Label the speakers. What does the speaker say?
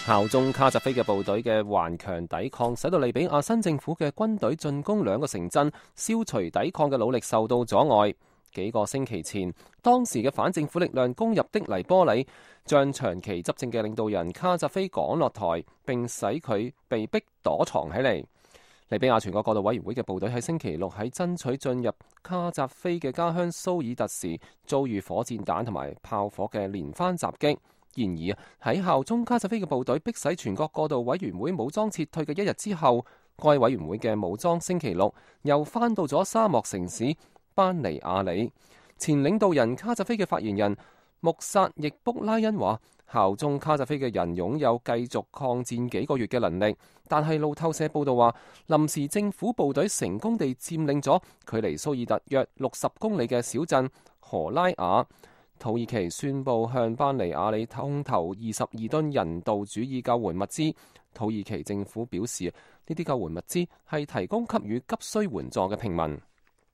Speaker 1: 效忠卡扎菲嘅部隊嘅頑強抵抗，使到利比亞新政府嘅軍隊進攻兩個城鎮，消除抵抗嘅努力受到阻礙。幾個星期前，當時嘅反政府力量攻入的黎波里，將長期執政嘅領導人卡扎菲趕落台，並使佢被逼躲藏起嚟。利比亞全國過渡委員會嘅部隊喺星期六喺爭取進入卡扎菲嘅家鄉蘇爾特時，遭遇火箭彈同埋炮火嘅連番襲擊。然而喺效忠卡扎菲嘅部隊迫使全國過渡委員會武裝撤退嘅一日之後，該委員會嘅武裝星期六又返到咗沙漠城市班尼亞里。前領導人卡扎菲嘅發言人穆薩易卜拉恩話，效忠卡扎菲嘅人擁有繼續抗戰幾個月嘅能力，但係路透社報道話，臨時政府部隊成功地佔領咗距離蘇爾特約60公里嘅小鎮荷拉雅。土耳其宣布向班尼亞里空投22噸人道主義救援物資。土耳其政府表示，呢啲救援物資係提供給予急需援助嘅平民。